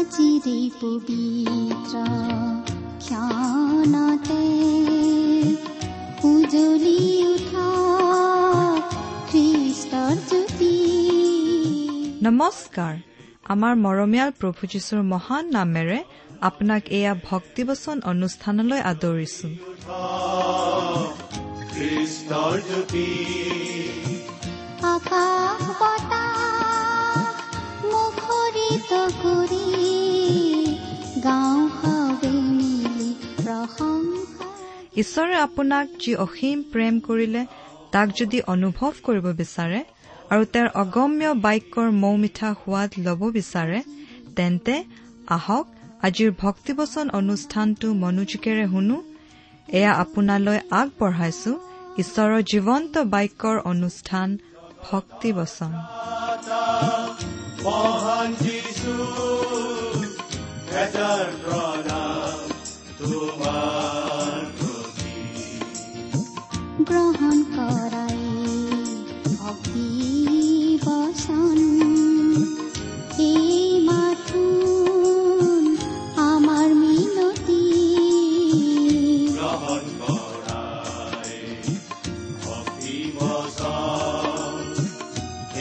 আজিৰে পবিত্ৰ ক্ষণতে উজ্বলি উঠা খ্ৰীষ্টৰ জ্যোতি। নমস্কাৰ। আমাৰ মৰমীয়াল প্ৰভু যীশুৰ মহান নামেৰে আপোনাক এয়া ভক্তিবচন অনুষ্ঠানলৈ আদৰিছো। খ্ৰীষ্টৰ জ্যোতি আকাশ বতাহ মুখৰিত কৰি গাওঁ সবে মিলি প্ৰশংসা। ঈশ্বৰে আপোনাক যি অসীম প্ৰেম কৰিলে তাক যদি অনুভৱ কৰিব বিচাৰে আৰু তেওঁৰ অগম্য বাক্যৰ মৌমিঠা সোৱাদ ল'ব বিচাৰে, তেন্তে আহক আজিৰ ভক্তিবচন অনুষ্ঠানটো মনোযোগেৰে শুনো। এয়া আপোনালৈ আগবঢ়াইছো ঈশ্বৰৰ জীৱন্ত বাক্যৰ অনুষ্ঠান ভক্তিবচন। মহান যীশু হাজাৰ প্ৰণাম তোমাৰ প্ৰতি। গ্ৰহণ কৰাই ভক্তি বচন এই মাথোন আমাৰ মিনতি। গ্ৰহণ কৰাই ভক্তি বচন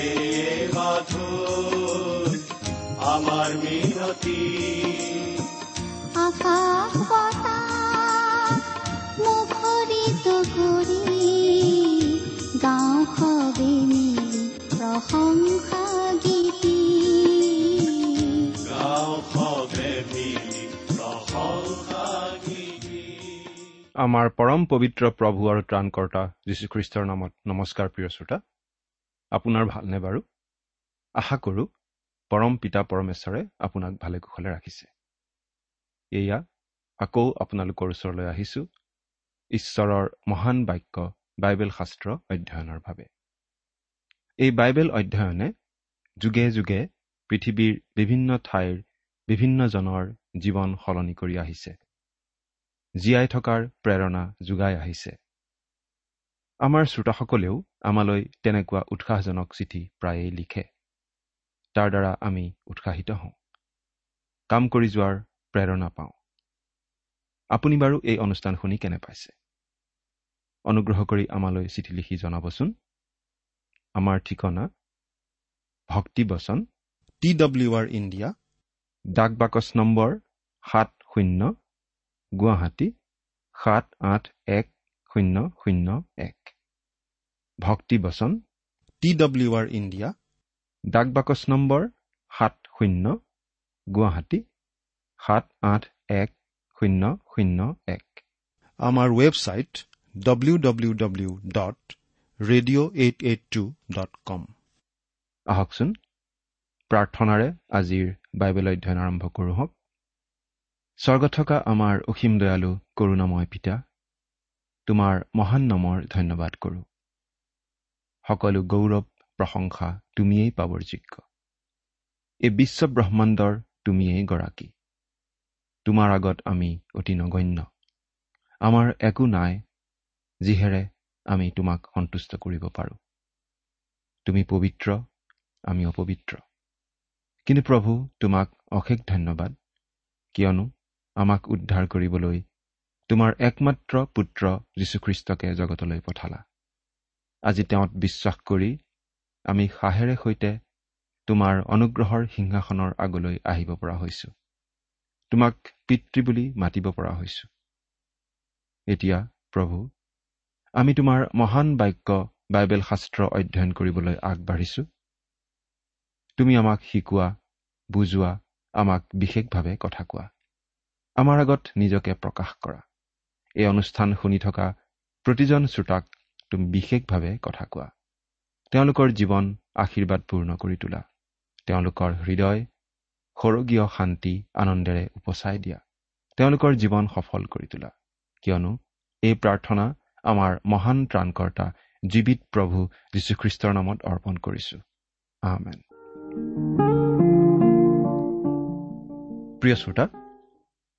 এই মাথোন আমাৰ মিনতি। আকাশ বতাহ মুখৰিত কৰি গাওঁ সবে মিলি প্ৰশংসা গীতি। গাওঁ সবে মিলি প্ৰশংসা গীতি। আমাৰ পৰম পবিত্ৰ প্ৰভু আৰু ত্ৰাণকৰ্তা যীশুখ্ৰীষ্টৰ নামত নমস্কাৰ প্ৰিয় শ্ৰোতা, আপোনাৰ ভালনে বাৰু? আশা কৰোঁ পৰম পিতা পৰমেশ্বৰে আপোনাক ভালে কুশলে ৰাখিছে। এয়া আকৌ আপোনালোকৰ ওচৰলৈ আহিছোঁ ঈশ্বৰৰ মহান বাক্য বাইবেল শাস্ত্ৰ অধ্যয়নৰ বাবে। এই বাইবেল অধ্যয়নে যুগে যুগে পৃথিৱীৰ বিভিন্ন ঠাইৰ বিভিন্ন জনৰ জীৱন সলনি কৰি আহিছে, জীয়াই থকাৰ প্ৰেৰণা যোগাই আহিছে। আমাৰ শ্ৰোতাসকলেও আমালৈ তেনেকুৱা উৎসাহজনক চিঠি প্ৰায়েই লিখে। তাৰ দ্বাৰা আমি উৎসাহিত হওঁ, কাম কৰি যোৱাৰ প্ৰেৰণা পাওঁ। আপুনি বাৰু এই অনুষ্ঠান শুনি কেনে পাইছে? অনুগ্ৰহ কৰি আমালৈ চিঠি লিখি জনাবচোন। আমাৰ ঠিকনা ভক্তিবচন TWR India, ডাক বাকচ নম্বৰ 70, গুৱাহাটী 781001। ভক্তিবচন TWR India, ডাক বাকচ নম্বৰ 70, গুৱাহাটী 781001। আমাৰ ৱেবছাইট www.radio882.com। আহকচোন প্ৰাৰ্থনাৰে আজিৰ বাইবেল অধ্যয়ন আৰম্ভ কৰোঁ হওক। স্বৰ্গত থকা আমাৰ অসীম দয়ালু কৰুণাময় পিতা, তোমাৰ মহান নামৰ ধন্যবাদ কৰোঁ। সকলো গৌৰৱ প্ৰশংসা তুমিয়েই পাবৰ যোগ্য। এই বিশ্ব ব্ৰহ্মাণ্ডৰ তুমিয়েই গৰাকী। তোমাৰ আগত আমি অতি নগণ্য, আমাৰ একো নাই যিহেৰে আমি তোমাক সন্তুষ্ট কৰিব পাৰোঁ। তুমি পবিত্ৰ, আমি অপবিত্ৰ। কিন্তু প্ৰভু, তোমাক অশেষ ধন্যবাদ, কিয়নো আমাক উদ্ধাৰ কৰিবলৈ তোমাৰ একমাত্ৰ পুত্ৰ যীশুখ্ৰীষ্টকে জগতলৈ পঠালা। আজি তেওঁত বিশ্বাস কৰি আমি সাহেৰে সৈতে তোমাৰ অনুগ্ৰহৰ সিংহাসনৰ আগলৈ আহিব পৰা হৈছোঁ, তোমাক পিতৃ বুলি মাতিব পৰা হৈছোঁ। এতিয়া প্ৰভু, আমি তোমাৰ মহান বাক্য বাইবেল শাস্ত্ৰ অধ্যয়ন কৰিবলৈ আগবাঢ়িছোঁ। তুমি আমাক শিকোৱা, বুজোৱা, আমাক বিশেষভাৱে কথা কোৱা, আমাৰ আগত নিজকে প্ৰকাশ কৰা। এই অনুষ্ঠান শুনি থকা প্ৰতিজন শ্ৰোতাক তুমি বিশেষভাৱে কথা কোৱা, তেওঁলোকৰ জীৱন আশীৰ্বাদপূৰ্ণ কৰি তোলা, তেওঁলোকৰ হৃদয় স্বৰ্গীয় শান্তি আনন্দেৰে উপচাই দিয়া, তেওঁলোকৰ জীৱন সফল কৰি তোলা। কিয়নো এই প্ৰাৰ্থনা আমাৰ মহান ত্ৰাণকৰ্তা জীৱিত প্ৰভু যীশুখ্ৰীষ্টৰ নামত অৰ্পণ কৰিছো, আমেন। প্ৰিয় শ্ৰোতা,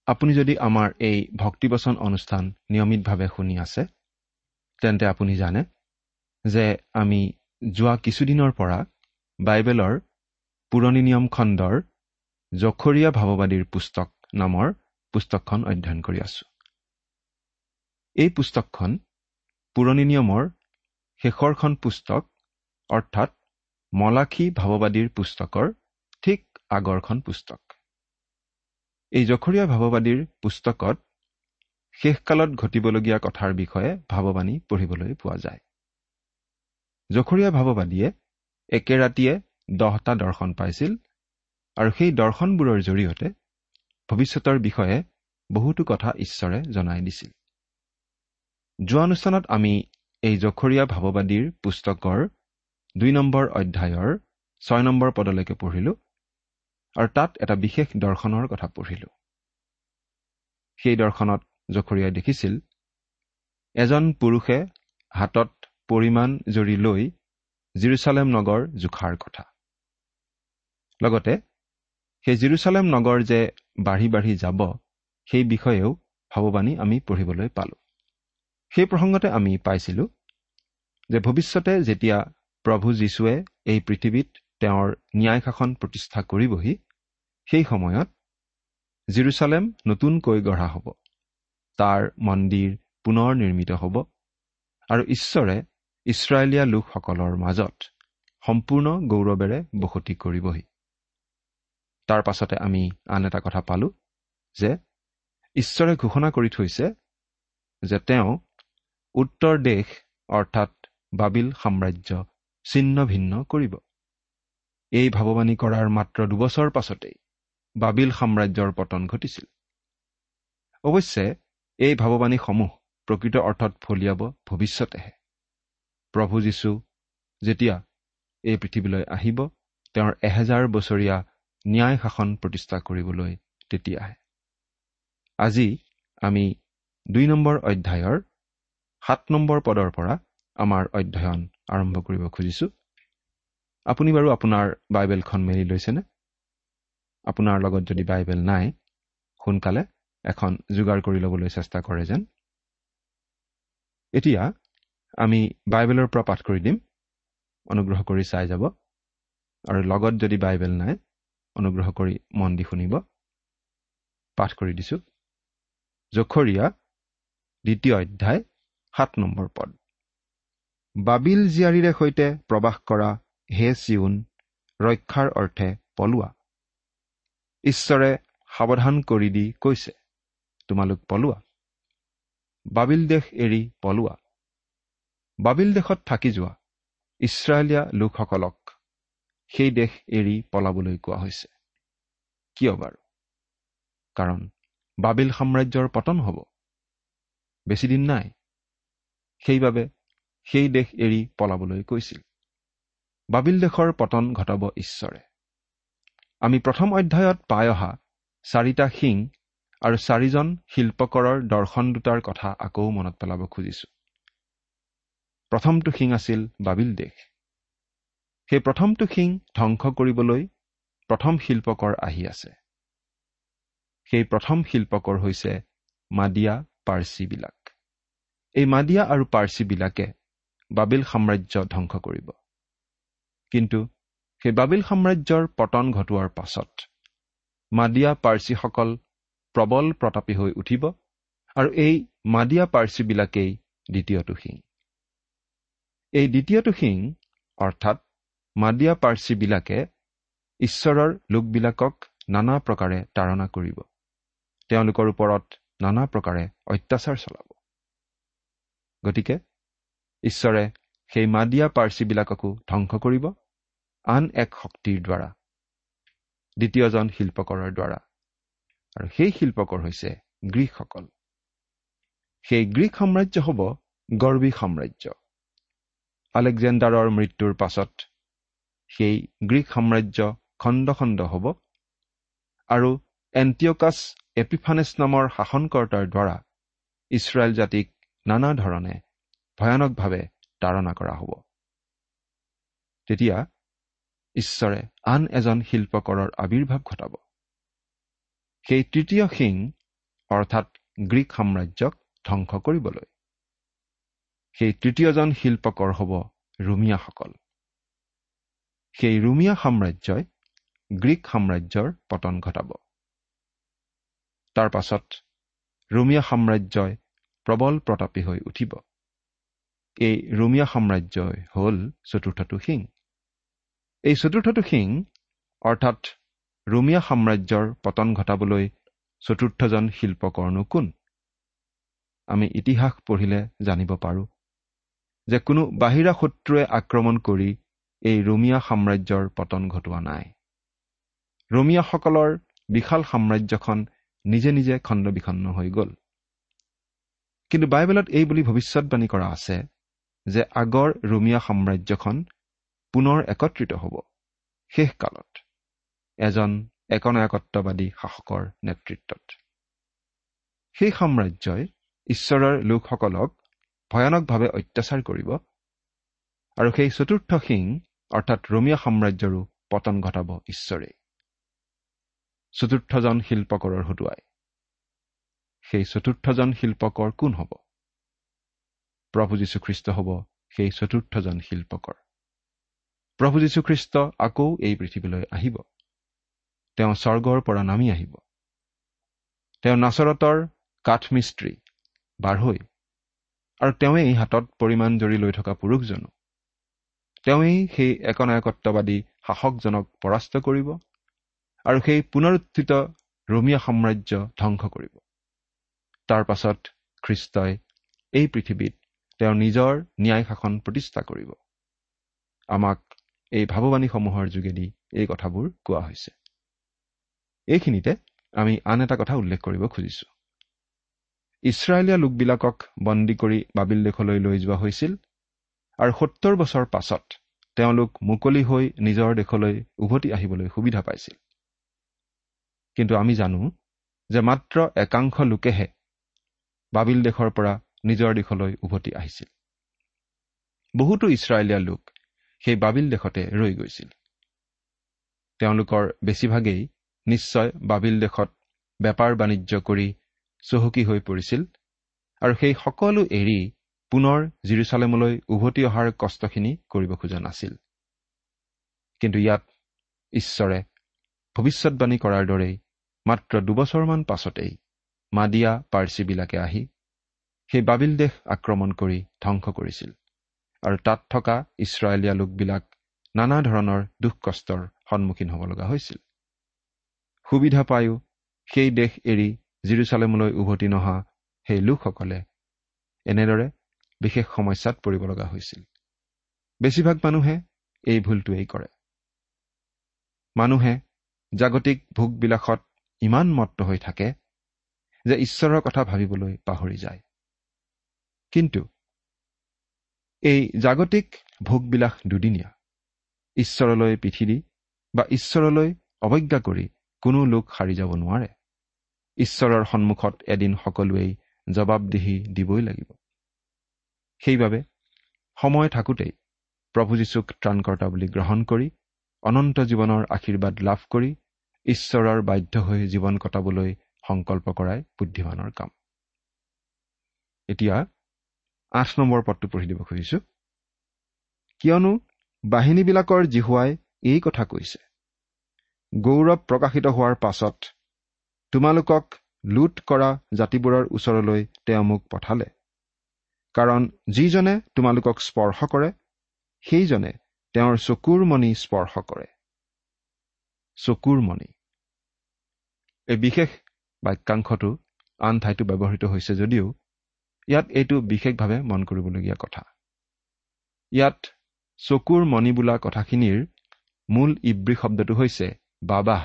আপুনি যদি আমাৰ এই ভক্তিবচন অনুষ্ঠান নিয়মিতভাৱে শুনি আছে, তেন্তে আপুনি জানে যে আমি যোৱা কিছুদিনৰ পৰা বাইবেলৰ পুৰণি নিয়ম খণ্ডৰ জখৰীয়া ভাৱবাদীৰ পুস্তক নামৰ পুস্তকখন অধ্যয়ন কৰি আছো। এই পুস্তকখন পুৰণি নিয়মৰ শেষৰখন পুস্তক, অৰ্থাৎ মলাখী ভাৱবাদীৰ পুস্তকৰ ঠিক আগৰখন পুস্তক। এই জখৰীয়া ভাৱবাদীৰ পুস্তকত শেষকালত ঘটিবলগীয়া কথাৰ বিষয়ে ভাৱবাণী পঢ়িবলৈ পোৱা যায়। জখৰীয়া ভাৱবাদীয়ে একে ৰাতিয়ে 10টা দৰ্শন পাইছিল আৰু সেই দৰ্শনবোৰৰ জৰিয়তে ভৱিষ্যতৰ বিষয়ে বহুতো কথা ঈশ্বৰে জনাই দিছিল। যোৱা অনুষ্ঠানত আমি এই জখৰীয়া ভাৱবাদীৰ পুস্তকৰ 2 নম্বৰ অধ্যায়ৰ 6 নম্বৰ পদলৈকে পঢ়িলো আৰু তাত এটা বিশেষ দৰ্শনৰ কথা পঢ়িলো। সেই দৰ্শনত জখৰীয়াই দেখিছিল এজন পুৰুষে হাতত পৰিমাণ জৰি লৈ জিৰচালেম নগৰ জোখাৰ কথা, লগতে সেই জিৰচালেম নগৰ যে বাঢ়ি বাঢ়ি যাব সেই বিষয়েও ভাৱবাণী আমি পঢ়িবলৈ পালোঁ। সেই প্ৰসংগতে আমি পাইছিলোঁ যে ভৱিষ্যতে যেতিয়া প্ৰভু যীশুৱে এই পৃথিৱীত তেওঁৰ ন্যায় শাসন প্ৰতিষ্ঠা কৰিবহি, সেই সময়ত জিৰচালেম নতুনকৈ গঢ়া হ'ব, তাৰ মন্দিৰ পুনৰ নিৰ্মিত হ'ব আৰু ঈশ্বৰে ইছৰাইলীয়া লোকসকলৰ মাজত সম্পূৰ্ণ গৌৰৱেৰে বসতি কৰিবহি। তাৰ পাছতে আমি আন এটা কথা পালোঁ যে ঈশ্বৰে ঘোষণা কৰি থৈছে যে তেওঁ উত্তৰ দেশ অৰ্থাৎ বাবিল সাম্ৰাজ্য ছিন্ন ভিন্ন কৰিব। এই ভাৱবাণী কৰাৰ মাত্ৰ 2 বছৰ পাছতেই বাবিল সাম্ৰাজ্যৰ পতন ঘটিছিল। অৱশ্যে এই ভাৱবাণীসমূহ প্ৰকৃত অৰ্থত ফলিয়াব ভৱিষ্যতেহে। প্ৰভু যীশু যেতিয়া এই পৃথিৱীলৈ আহিব, তেওঁৰ 1000 বছৰীয়া ন্যায় শাসন প্ৰতিষ্ঠা কৰিবলৈ তেতিয়াহে। আজি আমি 2 নম্বৰ অধ্যায়ৰ 7 নম্বৰ পদৰ পৰা আমাৰ অধ্যয়ন আৰম্ভ কৰিব খুজিছোঁ। আপুনি বাৰু আপোনাৰ বাইবেলখন মেলি লৈছেনে? আপোনাৰ লগত যদি বাইবেল নাই, সোনকালে এখন যোগাৰ কৰি ল'বলৈ চেষ্টা কৰে যেন। এতিয়া আমি বাইবেলৰ পৰা পাঠ কৰি দিম, অনুগ্ৰহ কৰি চাই যাব। আৰু লগত যদি বাইবেল নাই, অনুগ্ৰহ কৰি মন দি শুনিব। পাঠ কৰি দিছোঁ। জখৰীয়া 2 অধ্যায় 7 নম্বৰ পদ। বাবিল জীয়াৰীৰে সৈতে প্ৰবাস কৰা হে চিয়োন, ৰক্ষাৰ অৰ্থে পলোৱা। ঈশ্বৰে সাৱধান কৰি দি কৈছে, তোমালোক পলোৱা, বাবিল দেশ এৰি পলোৱা। বাবিল দেশত থাকি যোৱা ইছৰাইলীয়া লোকসকলক সেই দেশ এৰি পলাবলৈ কোৱা হৈছে। কিয় বাৰু? কাৰণ বাবিল সাম্ৰাজ্যৰ পতন হ'ব, বেছিদিন নাই। সেইবাবে সেই দেশ এৰি পলাবলৈ কৈছিল। বাবিল দেশৰ পতন ঘটাব ঈশ্বৰে। আমি প্ৰথম অধ্যায়ত পাই অহা 4টা শিং আৰু 4জন শিল্পকৰৰ দৰ্শন দুটাৰ কথা আকৌ মনত পেলাব খুজিছোঁ। প্ৰথমটো শিং আছিল বাবিল দেশ। সেই প্ৰথমটো শিং ধ্বংস কৰিবলৈ প্ৰথম শিল্পকৰ আহি আছে। সেই প্ৰথম শিল্পকৰ হৈছে মাদিয়া পাৰ্চীবিলাক। এই মাদিয়া আৰু পাৰ্চীবিলাকে বাবিল সাম্ৰাজ্য ধ্বংস কৰিব। কিন্তু সেই বাবিল সাম্ৰাজ্যৰ পতন ঘটোৱাৰ পাছত মাদিয়া পাৰ্চীসকল প্ৰবল প্ৰতাপী হৈ উঠিব আৰু এই মাদিয়া পাৰ্চীবিলাকেই দ্বিতীয়টো শিং। এই দ্বিতীয়টো শিং অৰ্থাৎ মাদিয়া পাৰ্চীবিলাকে ঈশ্বৰৰ লোকবিলাকক নানা প্ৰকাৰে তাড়না কৰিব, তেওঁলোকৰ ওপৰত নানা প্ৰকাৰে অত্যাচাৰ চলাব। গতিকে ঈশ্বৰে সেই মাদিয়া পাৰ্চীবিলাককো ধ্বংস কৰিব আন এক শক্তিৰ দ্বাৰা, দ্বিতীয়জন শিল্পকৰৰ দ্বাৰা। আৰু সেই শিল্পকৰ হৈছে গ্ৰীকসকল। সেই গ্ৰীক সাম্ৰাজ্য হ'ব গৰ্বী সাম্ৰাজ্য। আলেকজেণ্ডাৰৰ মৃত্যুৰ পাছত সেই গ্ৰীক সাম্ৰাজ্য খণ্ড খণ্ড হ'ব আৰু এণ্টিঅকাছ এপিফানেছ নামৰ শাসনকৰ্তাৰ দ্বাৰা ইছৰাইল জাতিক নানা ধৰণে ভয়ানকভাৱে তাড়না কৰা হ'ব। তেতিয়া ঈশ্বৰে আন এজন শিল্পকৰৰ আৱিৰ্ভাৱ ঘটাব। সেই তৃতীয় শিং অৰ্থাৎ গ্ৰীক সাম্ৰাজ্যক ধ্বংস কৰিবলৈ। সেই তৃতীয়জন শিল্পকৰ হ'ব ৰোমিয়াসকল। সেই ৰোমিয়া সাম্ৰাজ্যই গ্ৰীক সাম্ৰাজ্যৰ পতন ঘটাব। তাৰ পাছত ৰোমীয়া সাম্ৰাজ্যই প্ৰবল প্ৰতাপী হৈ উঠিব। এই ৰোমীয়া সাম্ৰাজ্যই হ'ল চতুৰ্থটো শিং। এই চতুৰ্থটো শিং অৰ্থাৎ ৰোমীয়া সাম্ৰাজ্যৰ পতন ঘটাবলৈ চতুৰ্থজন শিল্পকৰ্ণো কোন? আমি ইতিহাস পঢ়িলে জানিব পাৰোঁ যে কোনো বাহিৰা শত্ৰুৱে আক্ৰমণ কৰি এই ৰোমীয়া সাম্ৰাজ্যৰ পতন ঘটোৱা নাই। ৰোমীয়াসকলৰ বিশাল সাম্ৰাজ্যখন নিজে নিজে খণ্ড বিখণ্ড হৈ গ'ল। কিন্তু বাইবেলত এই বুলি ভৱিষ্যতবাণী কৰা আছে যে আগৰ ৰোমীয়া সাম্ৰাজ্যখন পুনৰ একত্ৰিত হ'ব শেষকালত এজন একনায়কত্ববাদী শাসকৰ নেতৃত্বত। সেই সাম্ৰাজ্যই ঈশ্বৰৰ লোকসকলক ভয়ানকভাৱে অত্যাচাৰ কৰিব আৰু সেই চতুৰ্থ শিং অৰ্থাৎ ৰোমীয়া সাম্ৰাজ্যৰো পতন ঘটাব ঈশ্বৰেই, চতুৰ্থজন শিল্পকৰৰ হতুৱাই। সেই চতুৰ্থজন শিল্পকৰ কোন হ'ব? প্ৰভু যীশুখ্ৰীষ্ট হ'ব সেই চতুৰ্থজন শিল্পকৰ। প্ৰভু যীশুখ্ৰীষ্ট আকৌ এই পৃথিৱীলৈ আহিব। তেওঁ স্বৰ্গৰ পৰা নামি আহিব। তেওঁ নাচৰতৰ কাঠমিস্ত্ৰী বাঢ়ৈ আৰু তেওঁৱেই হাতত পৰিমাণ জৰি লৈ থকা পুৰুষজনো। তেওঁৱেই সেই একনায়কত্ববাদী শাসকজনক পৰাস্ত কৰিব আৰু সেই পুনৰুত্থিত ৰোমীয়া সাম্ৰাজ্য ধ্বংস কৰিব। তাৰ পাছত খ্ৰীষ্টই এই পৃথিৱীত তেওঁৰ নিজৰ ন্যায় শাসন প্ৰতিষ্ঠা কৰিব। আমাক এই ভাৱবাণীসমূহৰ যোগেদি এই কথাবোৰ কোৱা হৈছে। এইখিনিতে আমি আন এটা কথা উল্লেখ কৰিব খুজিছোঁ। ইছৰাইলীয়া লোকবিলাকক বন্দী কৰি বাবিল দেশলৈ লৈ যোৱা হৈছিল আৰু 70 বছৰ পাছত তেওঁলোক মুকলি হৈ নিজৰ দেশলৈ উভতি আহিবলৈ সুবিধা পাইছিল। কিন্তু আমি জানো যে মাত্ৰ একাংশ লোকেহে বাবিল দেশৰ পৰা নিজৰ দেশলৈ উভতি আহিছিল। বহুতো ইছৰাইলীয়া লোক সেই বাবিল দেশতে ৰৈ গৈছিল। তেওঁলোকৰ বেছিভাগেই নিশ্চয় বাবিল দেশত বেপাৰ বাণিজ্য কৰি চহকী হৈ পৰিছিল আৰু সেই সকলো এৰি পুনৰ জিৰচালেমলৈ উভতি অহাৰ কষ্টখিনি কৰিব খোজা নাছিল। কিন্তু ইয়াত ঈশ্বৰে ভৱিষ্যতবাণী কৰাৰ দৰেই মাত্ৰ 2 বছৰমান পাছতেই মাদিয়া পাৰ্চীবিলাকে আহি সেই বাবিল দেশ আক্ৰমণ কৰি ধ্বংস কৰিছিল আৰু তাত থকা ইছৰাইলীয়া লোকবিলাক নানা ধৰণৰ দুখ কষ্টৰ সন্মুখীন হ'ব লগা হৈছিল। সুবিধা পায়ো সেই দেশ এৰি জিৰচালেমলৈ উভতি নহা সেই লোকসকলে এনেদৰে বিশেষ সমস্যাত পৰিব লগা হৈছিল। বেছিভাগ মানুহে এই ভুলটোৱেই কৰে। মানুহে জাগতিক ভোগবিলাসত ইমান মত্ত হৈ থাকে যে ঈশ্বৰৰ কথা ভাবিবলৈ পাহৰি যায়। কিন্তু এই জাগতিক ভোগবিলাস দুদিনীয়া। ঈশ্বৰলৈ পিঠি দি বা ঈশ্বৰলৈ অৱজ্ঞা কৰি কোনো লোক সাৰি যাব নোৱাৰে। ঈশ্বৰৰ সন্মুখত এদিন সকলোৱেই জবাবদিহি দিবই লাগিব। সেইবাবে সময় থাকোঁতেই প্ৰভু যীশুক ত্ৰাণকৰ্তা বুলি গ্ৰহণ কৰি অনন্ত জীৱনৰ আশীৰ্বাদ লাভ কৰি ঈশ্বৰৰ বাধ্য হৈ জীৱন কটাবলৈ সংকল্প কৰাই বুদ্ধিমানৰ কাম। এতিয়া 8 নম্বৰ পদটো পঢ়ি দিব খুজিছোঁ। কিয়নো বাহিনীবিলাকৰ যিহোৱাই এই কথা কৈছে, গৌৰৱ প্ৰকাশিত হোৱাৰ পাছত তোমালোকক লুট কৰা জাতিবোৰৰ ওচৰলৈ তেওঁ মোক পঠালে, কাৰণ যিজনে তোমালোকক স্পৰ্শ কৰে সেইজনে তেওঁৰ চকুৰ মণি স্পৰ্শ কৰে। চকুৰ মণি এই বিশেষ বাক্যাংশটো আন ঠাইতো ব্যৱহৃত হৈছে যদিও ইয়াত এইটো বিশেষভাৱে মন কৰিবলগীয়া কথা। ইয়াত চকুৰ মণি বোলা কথাখিনিৰ মূল ইব্ৰী শব্দটো হৈছে বাবাহ।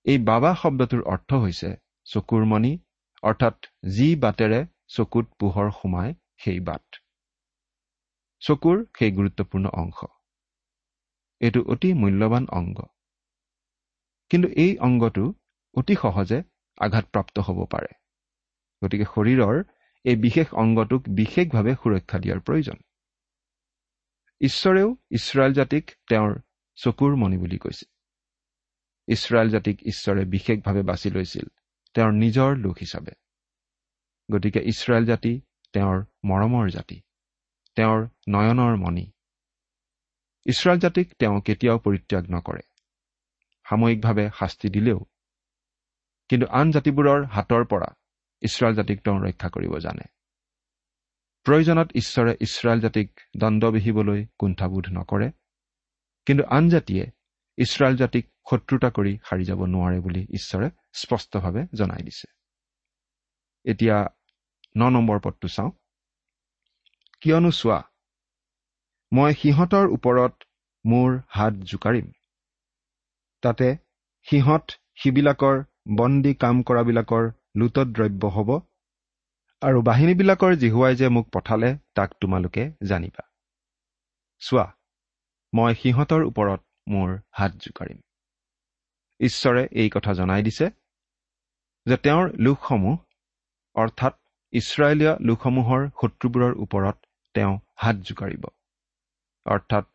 এই বাবা শব্দটোৰ অৰ্থ হৈছে চকুৰ মণি, অৰ্থাৎ যি বাটেৰে চকুত পোহৰ সোমায় সেই বাট, চকুৰ সেই গুৰুত্বপূৰ্ণ অংশ। এইটো অতি মূল্যৱান অংগ, কিন্তু এই অংগটো অতি সহজে আঘাতপ্ৰাপ্ত হ'ব পাৰে। গতিকে শৰীৰৰ এই বিশেষ অংগটোক বিশেষভাৱে সুৰক্ষা দিয়াৰ প্ৰয়োজন। ঈশ্বৰেও ইছৰাইল জাতিক তেওঁৰ চকুৰ মণি বুলি কৈছে। ইছৰাইল জাতিক ঈশ্বৰে বিশেষভাৱে বাছি লৈছিল তেওঁৰ নিজৰ লোক হিচাপে। গতিকে ইছৰাইল জাতি তেওঁৰ মৰমৰ জাতি, তেওঁৰ নয়নৰ মণি। ইছৰাইল জাতিক তেওঁ কেতিয়াও পৰিত্যাগ নকৰে। সাময়িকভাৱে শাস্তি দিলেও কিন্তু আন জাতিবোৰৰ হাতৰ পৰা ইছৰাইল জাতিক তেওঁ ৰক্ষা কৰিব জানে। প্ৰয়োজনত ঈশ্বৰে ইছৰাইল জাতিক দণ্ড বিহিবলৈ কুণ্ঠাবোধ নকৰে, কিন্তু আন জাতিয়ে ইছৰাইল জাতিক শত্ৰুতা কৰি সাৰি যাব নোৱাৰে বুলি ঈশ্বৰে স্পষ্টভাৱে জনাই দিছে। এতিয়া 9 নম্বৰ পদটো চাওঁ। কিয়নো চোৱা, মই সিহঁতৰ ওপৰত মোৰ হাত জোকাৰিম, তাতে সিহঁত সিবিলাকৰ বন্দী কাম কৰাবিলাকৰ লুটত দ্ৰব্য হ'ব, আৰু বাহিনীবিলাকৰ জিহুৱাই যে মোক পঠালে তাক তোমালোকে জানিবা। চোৱা, মই সিহঁতৰ ওপৰত মোৰ হাত জোকাৰিম। ঈশ্বৰে এই কথা জনাই দিছে যে তেওঁৰ লোকসমূহ অৰ্থাৎ ইছৰাইলীয় লোকসমূহৰ শত্ৰুবোৰৰ ওপৰত তেওঁ হাত জোকাৰিব, অৰ্থাৎ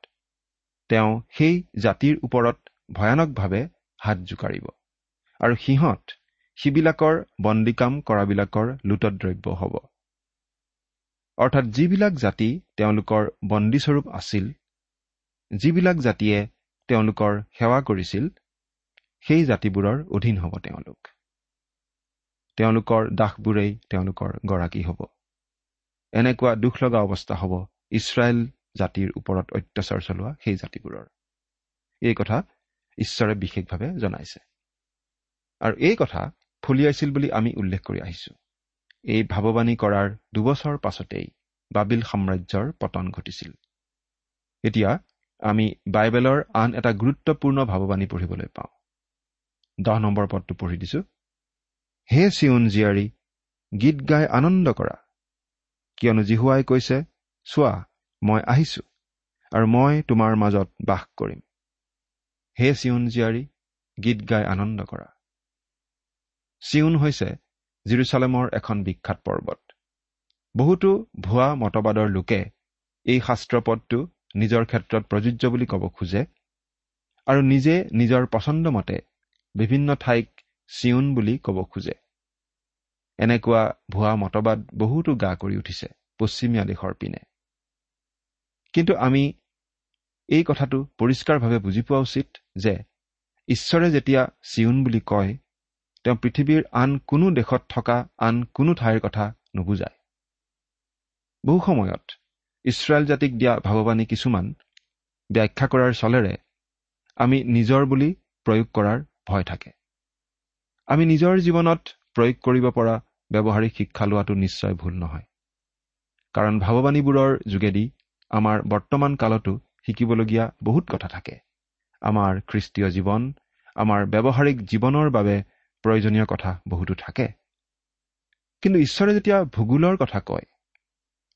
তেওঁ সেই জাতিৰ ওপৰত ভয়ানকভাৱে হাত জোকাৰিব, আৰু সিহঁত সিবিলাকৰ বন্দীকাম কৰাবিলাকৰ লুটদ্ৰব্য হ'ব। অৰ্থাৎ যিবিলাক জাতি তেওঁলোকৰ বন্দীস্বৰূপ আছিল, যিবিলাক জাতিয়ে তেওঁলোকৰ সেৱা কৰিছিল, সেই জাতিবোৰৰ অধীন হ'ব তেওঁলোক। তেওঁলোকৰ দাসবোৰেই তেওঁলোকৰ গৰাকী হ'ব। এনেকুৱা দুখ লগা অৱস্থা হ'ব ইছৰাইল জাতিৰ ওপৰত অত্যাচাৰ চলোৱা সেই জাতিবোৰৰ। এই কথা ঈশ্বৰে বিশেষভাৱে জনাইছে, আৰু এই কথা ফলিয়াইছিল বুলি আমি উল্লেখ কৰি আহিছোঁ। এই ভাৱবাণী কৰাৰ 2 বছৰ পাছতেই বাবিল সাম্ৰাজ্যৰ পতন ঘটিছিল। এতিয়া আমি বাইবেলৰ আন এটা গুৰুত্বপূৰ্ণ ভাৱবাণী পঢ়িবলৈ পাওঁ। 10 নম্বৰ পদটো পঢ়ি দিছোঁ। হে চিয়োন জীয়াৰী, গীত গাই আনন্দ কৰা, কিয়নো জিহুৱাই কৈছে, চোৱা, মই আহিছোঁ আৰু মই তোমাৰ মাজত বাস কৰিম। হে চিয়োন জীয়াৰী, গীত গাই আনন্দ কৰা। চিয়োন হৈছে জিৰচালেমৰ এখন বিখ্যাত পৰ্বত। বহুতো ভুৱা মতবাদৰ লোকে এই শাস্ত্ৰপদটো নিজৰ ক্ষেত্ৰত প্ৰযোজ্য বুলি ক'ব খোজে আৰু নিজে নিজৰ পচন্দমতে বিভিন্ন ঠাইক চিয়োন বুলি ক'ব খোজে। এনেকুৱা ভুৱা মতবাদ বহুতো গা কৰি উঠিছে পশ্চিমীয়া দেশৰ পিনে। কিন্তু আমি এই কথাটো পৰিষ্কাৰভাৱে বুজি পোৱা উচিত যে ঈশ্বৰে যেতিয়া চিয়োন বুলি কয়, তেওঁ পৃথিৱীৰ আন কোনো দেশত থকা আন কোনো ঠাইৰ কথা নুবুজায়। বহু সময়ত ইছৰাইল জাতিক দিয়া ভাৱবাণী কিছুমান ব্যাখ্যা কৰাৰ চলেৰে আমি নিজৰ বুলি প্ৰয়োগ কৰাৰ ভয় থাকে। আমি নিজৰ জীৱনত প্ৰয়োগ কৰিব পৰা ব্যৱহাৰিক শিক্ষা লোৱাটো নিশ্চয় ভুল নহয়, কাৰণ ভাৱবাণীবোৰৰ যোগেদি আমাৰ বৰ্তমান কালতো শিকিবলগীয়া বহুত কথা থাকে। আমাৰ খ্ৰীষ্টীয় জীৱন, আমাৰ ব্যৱহাৰিক জীৱনৰ বাবে প্ৰয়োজনীয় কথা বহুতো থাকে। কিন্তু ঈশ্বৰে যেতিয়া ভূগোলৰ কথা কয়,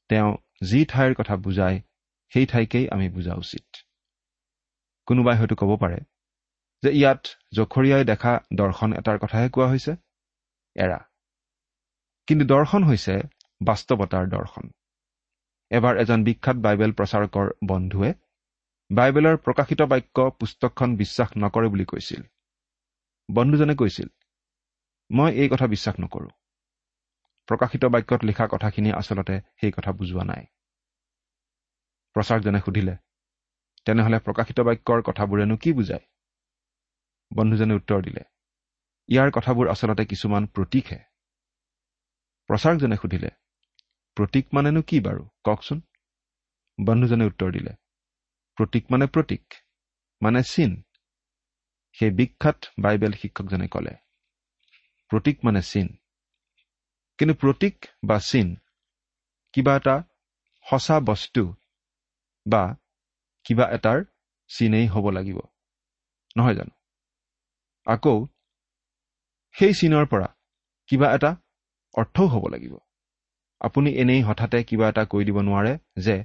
তেওঁ যি ঠাইৰ কথা বুজায় সেই ঠাইকেই আমি বুজা উচিত। কোনোবাই হয়তো ক'ব পাৰে যে ইয়াত জখৰিয়াই দেখা দৰ্শন এটাৰ কথাহে কোৱা হৈছে। এৰা, কিন্তু দৰ্শন হৈছে বাস্তৱতাৰ দৰ্শন। এবাৰ এজন বিখ্যাত বাইবেল প্ৰচাৰকৰ বন্ধুৱে বাইবেলৰ প্ৰকাশিত বাক্য পুস্তকখন বিশ্বাস নকৰে বুলি কৈছিল। বন্ধুজনে কৈছিল, মই এই কথা বিশ্বাস নকৰোঁ। প্ৰকাশিত বাক্যত লিখা কথাখিনি আচলতে সেই কথা বুজোৱা নাই। প্ৰচাৰকজনে সুধিলে, তেনেহ'লে প্ৰকাশিত বাক্যৰ কথাবোৰেনো কি বুজায়? বন্ধুজনে উত্তৰ দিলে, ইয়াৰ কথাবোৰ আচলতে কিছুমান প্ৰতীকহে। প্ৰচাৰকজনে সুধিলে, প্ৰতীক মানেনো কি বাৰু কওকচোন? বন্ধুজনে উত্তৰ দিলে, প্ৰতীক মানে প্ৰতীক মানে চিন। সেই বিখ্যাত বাইবেল শিক্ষকজনে ক'লে, প্ৰতীক মানে চিন। কিন্তু প্ৰতীক বা চিন কিবা এটা সঁচা বস্তু বা কিবা এটাৰ চিনেই হ'ব লাগিব, নহয় জানো? আকৌ সেই চিনৰ পৰা কিবা এটা অৰ্থও হ'ব লাগিব। আপুনি এনেই হঠাতে কিবা এটা কৈ দিব নোৱাৰে যে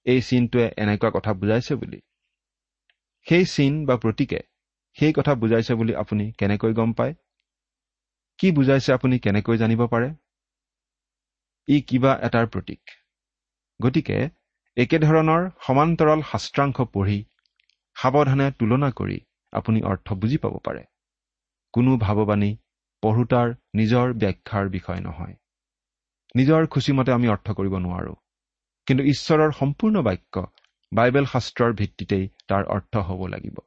এই চিনটোৱে এনেকুৱা কথা বুজাইছে বুলি। সেই চিন বা প্ৰতীকে সেই কথা বুজাইছে বুলি আপুনি কেনেকৈ গম পায়? কি বুজাইছে আপুনি কেনেকৈ জানিব পাৰে? ই কিবা এটাৰ প্ৰতীক। গতিকে একেধৰণৰ সমান্তৰাল শাস্ত্ৰাংশ পঢ়ি সাৱধানে তুলনা কৰি আপুনি অৰ্থ বুজি পাব পাৰে। কোনো ভাৱবাণী পঢ়োতাৰ নিজৰ ব্যাখ্যাৰ বিষয় নহয়। নিজৰ খুচিমতে আমি অৰ্থ কৰিব নোৱাৰোঁ, কিন্তু ঈশ্বৰৰ সম্পূৰ্ণ বাক্য বাইবেল শাস্ত্ৰৰ ভিত্তিতেই তাৰ অৰ্থ হ'ব লাগিব।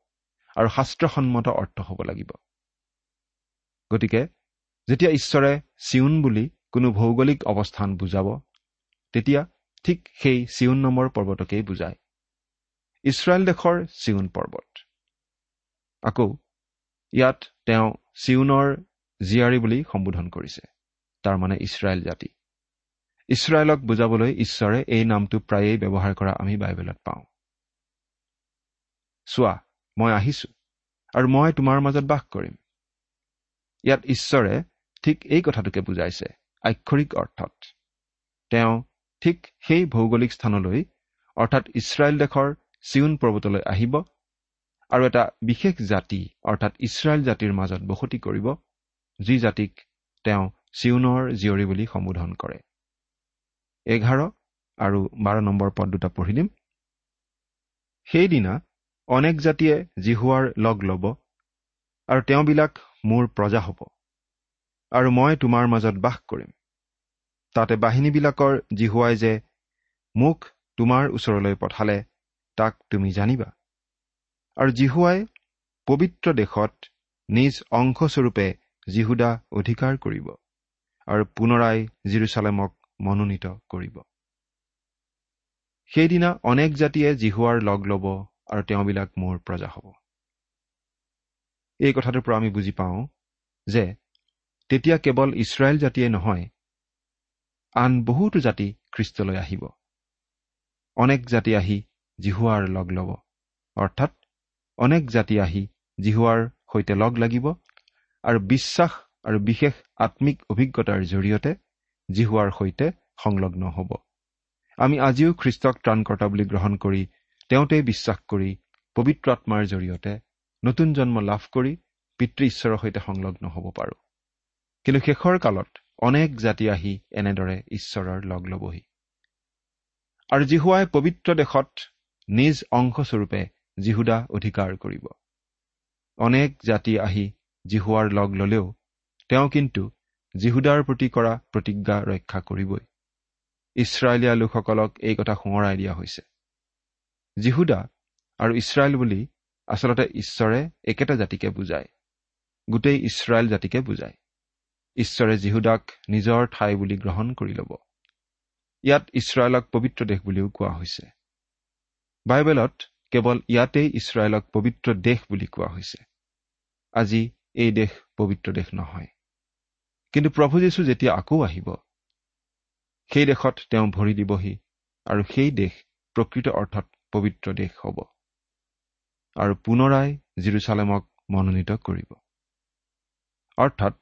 আৰু শাস্ত্ৰসন্মত অৰ্থ হ'ব লাগিব। গতিকে যেতিয়া ঈশ্বৰে চিউন বুলি কোনো ভৌগোলিক অৱস্থান বুজাব, তেতিয়া ঠিক সেই চিউন নামৰ পৰ্বতকেই বুজায়, ইছৰাইল দেশৰ চিউন পৰ্বত। আকৌ ইয়াত তেওঁ চিউনৰ জীয়াৰী বুলি সম্বোধন কৰিছে, তাৰমানে ইছৰাইল জাতি। ইছৰাইলক বুজাবলৈ ঈশ্বৰে এই নামটো প্ৰায়েই ব্যৱহাৰ কৰা আমি বাইবেলত পাওঁ। চোৱা, মই আহিছো আৰু মই তোমাৰ মাজত বাস কৰিম। ইয়াত ঈশ্বৰে ঠিক এই কথাটোকে বুজাইছে আক্ষৰিক অৰ্থত। তেওঁ ঠিক সেই ভৌগোলিক স্থানলৈ, অৰ্থাৎ ইছৰাইল দেশৰ চিউন পৰ্বতলৈ আহিব আৰু এটা বিশেষ জাতি, অৰ্থাৎ ইছৰাইল জাতিৰ মাজত বসতি কৰিব, যি জাতিক তেওঁ চিউনৰ জীয়ৰী বুলি সম্বোধন কৰে। 11 আৰু 12 নম্বৰ পদ দুটা পঢ়ি দিম। সেইদিনা অনেক জাতিয়ে যিহোৱাৰ লগ ল'ব আৰু তেওঁবিলাক মোৰ প্ৰজা হ'ব, আৰু মই তোমাৰ মাজত বাস কৰিম। তাতে বাহিনীবিলাকৰ যিহোৱাই যে মোক তোমাৰ ওচৰলৈ পঠালে তাক তুমি জানিবা। আৰু যিহোৱাই পবিত্ৰ দেশত নিজ অংশস্বৰূপে যিহূদা অধিকাৰ কৰিব আৰু পুনৰাই যিৰূচালেমক মনোনীত কৰিব। সেইদিনা অনেক জাতিয়ে যিহোৱাৰ লগ ল'ব আৰু তেওঁবিলাক মোৰ প্ৰজা হ'ব। এই কথাটোৰ পৰা আমি বুজি পাওঁ যে তেতিয়া কেৱল ইছৰাইল জাতিয়ে নহয়, আন বহুতো জাতি খ্ৰীষ্টলৈ আহিব। অনেক জাতি আহি যিহোৱাৰ লগ ল'ব, অৰ্থাৎ অনেক জাতি আহি যিহোৱাৰ সৈতে লগ লাগিব আৰু বিশ্বাস আৰু বিশেষ আত্মিক অভিজ্ঞতাৰ জৰিয়তে যিহোৱাৰ সৈতে সংলগ্ন হ'ব। আমি আজিও খ্ৰীষ্টক ত্ৰাণকৰ্তা বুলি গ্ৰহণ কৰি তেওঁতেই বিশ্বাস কৰি পবিত্ৰ আত্মাৰ জৰিয়তে নতুন জন্ম লাভ কৰি পিতৃ ঈশ্বৰৰ সৈতে সংলগ্ন হ'ব পাৰোঁ। কিন্তু শেষৰ কালত অনেক জাতি আহি এনেদৰে ঈশ্বৰৰ লগ ল'বহি। আৰু যিহোৱাই পবিত্ৰ দেশত নিজ অংশস্বৰূপে যিহূদা অধিকাৰ কৰিব। অনেক জাতি আহি যিহোৱাৰ লগ ল'লেও তেওঁ কিন্তু যিহূদাৰ প্ৰতি কৰা প্ৰতিজ্ঞা ৰক্ষা কৰিবই। ইছৰাইলীয়া লোকসকলক এই কথা সোঁৱৰাই দিয়া হৈছে। যিহূদা আৰু ইছৰাইল বুলি আচলতে ঈশ্বৰে একেটা জাতিকে বুজায়, গোটেই ইছৰাইল জাতিকে বুজায়। ঈশ্বৰে যিহূদাক নিজৰ ঠাই বুলি গ্ৰহণ কৰি ল'ব। ইয়াত ইছৰাইলক পবিত্ৰ দেশ বুলিও কোৱা হৈছে। বাইবেলত কেৱল ইয়াতেই ইছৰাইলক পবিত্ৰ দেশ বুলি কোৱা হৈছে। আজি এই দেশ পবিত্ৰ দেশ নহয়, কিন্তু প্ৰভু যীশু যেতিয়া আকৌ আহিব সেই দেশত তেওঁ ভৰি দিবহি আৰু সেই দেশ প্ৰকৃত অৰ্থত পবিত্ৰ দেশ হ'ব আৰু পুনৰাই যিৰূচালেমক মনোনীত কৰিব। অৰ্থাৎ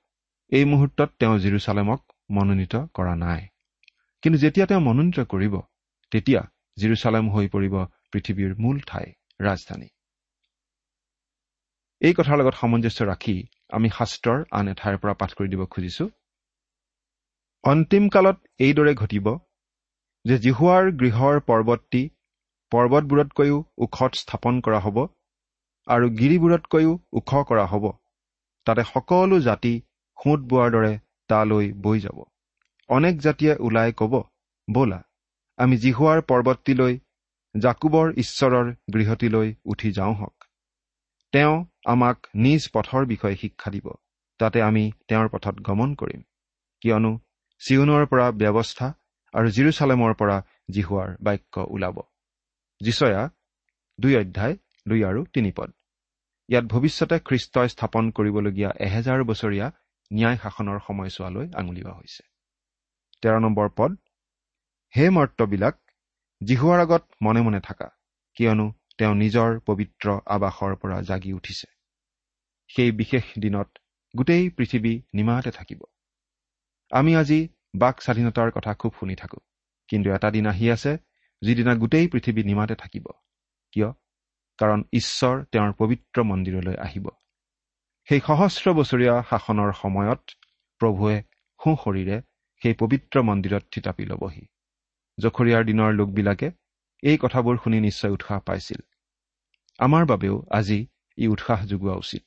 এই মুহূৰ্তত তেওঁ যিৰূচালেমক মনোনীত কৰা নাই, কিন্তু যেতিয়া তেওঁ মনোনীত কৰিব তেতিয়া যিৰূচালেম হৈ পৰিব পৃথিৱীৰ মূল ঠাই, ৰাজধানী। এই কথাৰ লগত সামঞ্জস্য ৰাখি আমি শাস্ত্ৰৰ আন এঠাইৰ পৰা পাঠ কৰি দিব খুজিছো। অন্তিম কালত এইদৰে ঘটিব যে যিহোৱাৰ গৃহৰ পৰ্বতটি পৰ্বতবোৰতকৈও ওখত স্থাপন কৰা হ'ব আৰু গিৰিবোৰতকৈও ওখ কৰা হ'ব, তাতে সকলো জাতি সোঁত বোৱাৰ দৰে তালৈ বৈ যাব। অনেক জাতিয়ে ওলাই ক'ব, ব'লা আমি যিহোৱাৰ পৰ্বতটিলৈ, যাকোবৰ ঈশ্বৰৰ গৃহটিলৈ উঠি যাওঁ হওক। তেওঁ আমাক নিজ পথৰ বিষয়ে শিক্ষা দিব, তাতে আমি তেওঁৰ পথত গমন কৰিম। কিয়নো চিউনৰ পৰা ব্যৱস্থা আৰু যিৰূচালেমৰ পৰা যিহোৱাৰ বাক্য ওলাব। যিচয়া 2 অধ্যায় 2 আৰু 3 পদ। ইয়াত ভৱিষ্যতে খ্ৰীষ্টই স্থাপন কৰিবলগীয়া 1000 বছৰীয়া ন্যায় শাসনৰ সময়ছোৱালৈ আঙুলিওৱা হৈছে। 13 নম্বৰ পদ, হে মৰ্ত্যবিলাক, যিহোৱাৰ আগত মনে মনে থাকা, কিয়নো তেওঁ নিজৰ পবিত্ৰ আৱাসৰ পৰা জাগি উঠিছে। সেই বিশেষ দিনত গোটেই পৃথিৱী নিমাতে থাকিব। আমি আজি বাক স্বাধীনতাৰ কথা খুব শুনি থাকোঁ, কিন্তু এটা দিন আহি আছে যিদিনা গোটেই পৃথিৱী নিমাতে থাকিব। কিয়? কাৰণ ঈশ্বৰ তেওঁৰ পবিত্ৰ মন্দিৰলৈ আহিব। সেই সহস্ৰ বছৰীয়া শাসনৰ সময়ত প্ৰভুৱে সোঁশৰীৰে সেই পবিত্ৰ মন্দিৰত থিতাপি ল'বহি। জখৰিয়াৰ দিনৰ লোকবিলাকে এই কথাবোৰ শুনি নিশ্চয় উৎসাহ পাইছিল। আমাৰ বাবেও আজি ই উৎসাহ যোগোৱা উচিত।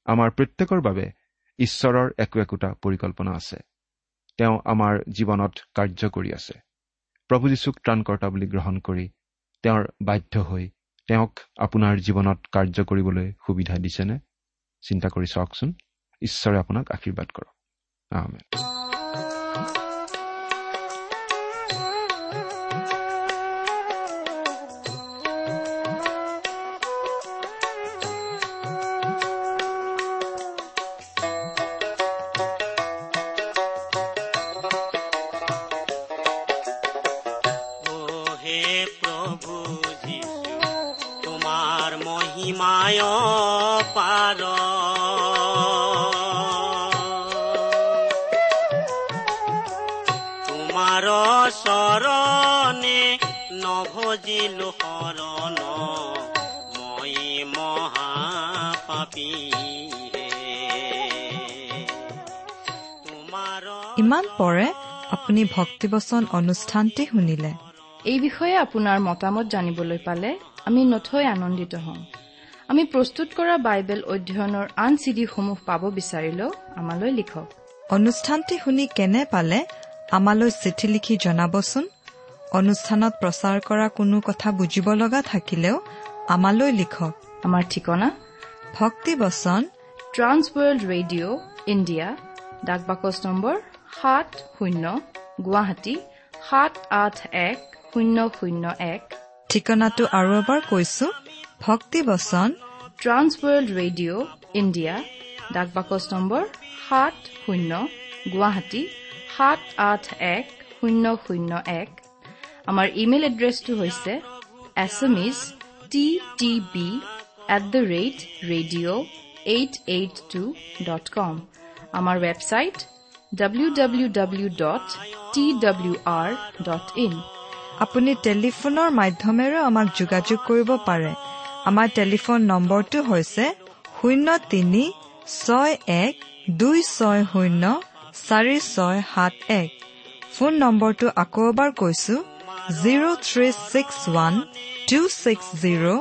আমাৰ প্ৰত্যেকৰ বাবে ঈশ্বৰৰ একো একোটা পৰিকল্পনা আছে। তেওঁ আমাৰ জীৱনত কাৰ্য কৰি আছে। প্ৰভু যীশুক ত্ৰাণকৰ্তা বুলি গ্ৰহণ কৰি তেওঁৰ বাধ্য হৈ তেওঁক আপোনাৰ জীৱনত কাৰ্য কৰিবলৈ সুবিধা দিছেনে? চিন্তা কৰি চাওকচোন। ঈশ্বৰে আপোনাক আশীৰ্বাদ কৰক। আমেন। চৰণে নভজিলো শৰণ, মই মহাপাপী। ইমান পৰে আপুনি ভক্তিবচন অনুষ্ঠানটি শুনিলে। এই বিষয়ে আপোনাৰ মতামত জানিবলৈ পালে আমি নথৈ আনন্দিত হ'ম। আমি প্ৰস্তুত কৰা বাইবেল অধ্যয়নৰ আন চিডিসমূহ পাব বিচাৰিলেও আমালৈ লিখক। অনুষ্ঠানটি শুনি কেনে পালে আমালৈ চিঠি লিখি জনাবচোন। অনুষ্ঠানত প্ৰচাৰ কৰা কোনো কথা বুজিব লগা থাকিলেও আমালৈ লিখক। আমাৰ ঠিকনা ভক্তিবচন ট্ৰান্স ৱৰ্ল্ড ৰেডিঅ' ইণ্ডিয়া, ডাক বাকচ নম্বৰ 70, গুৱাহাটী 781001। ঠিকনাটো আৰু এবাৰ কৈছো, ভক্তিবচন ট্ৰান্স ৱৰ্ল্ড ৰেডিঅ' ইণ্ডিয়া, ডাক বাকচ নম্বৰ 70, গুৱাহাটী 781001। আমাৰ ইমেইল এড্ৰেছটো হৈছে assamese@ttb@radio882.com। আমাৰ ৱেবছাইট www.twr.in। আপুনি টেলিফোনৰ মাধ্যমেৰেও আমাক যোগাযোগ কৰিব পাৰে। আমাৰ টেলিফোন নম্বৰটো হৈছে 03 61 260 4671। ফোন নম্বৰটো আকৌ এবাৰ কৈছো, 0361 260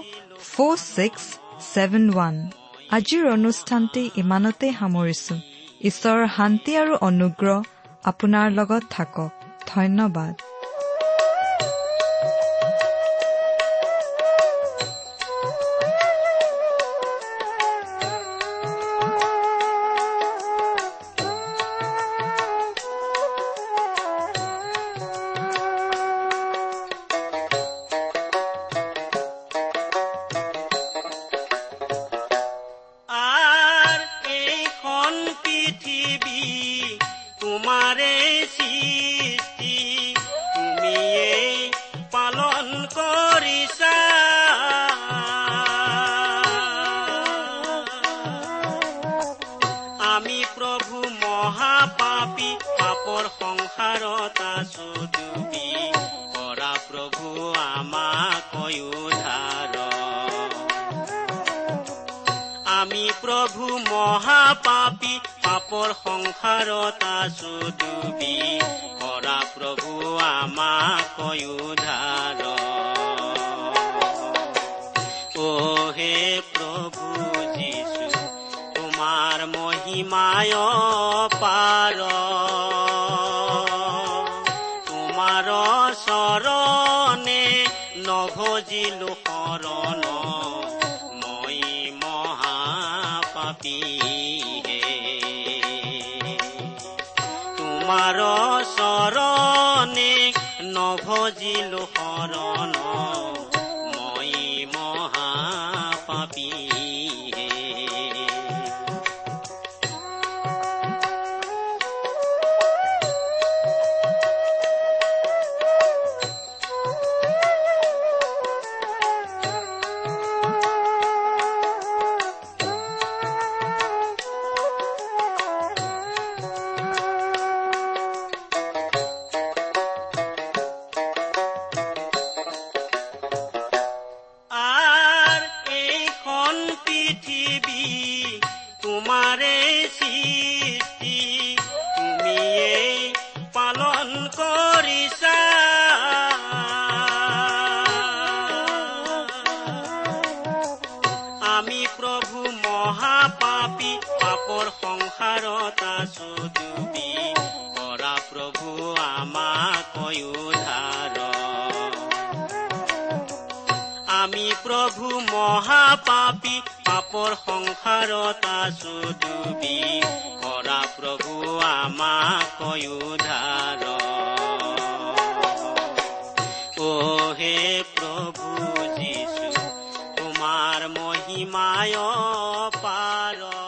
4671। আজিৰ অনুষ্ঠানটি ইমানতে সামৰিছো। ঈশ্বৰৰ শান্তি আৰু অনুগ্ৰহ আপোনাৰ লগত থাকক। ধন্যবাদ। আমি প্ৰভু মহাপাপী, পাপৰ সংসাৰত আছো ডুবি, কৰা প্ৰভু আমাক উদ্ধাৰ। অ হে প্ৰভু যীশু, তোমাৰ মহিমায় পাৰ, তোমাৰ চৰণে নভজিলো শৰণ, মই মহাপাপী। তোমাৰ চৰণে নভজিলো শৰণ, মই মহাপাপী। আমি প্ৰভু মহাপাপী, পাপৰ সংসাৰত আছো ডুবি, কৰা প্ৰভু আমাক উদ্ধাৰ। আমি প্ৰভু প্ৰভু মহাপাপী, পাপৰ সংসাৰত আছো ডুবি, কৰা প্ৰভু আমাক উদ্ধাৰ। অ হে প্ৰভু যীশু, তোমাৰ মহিমায় পাৰ।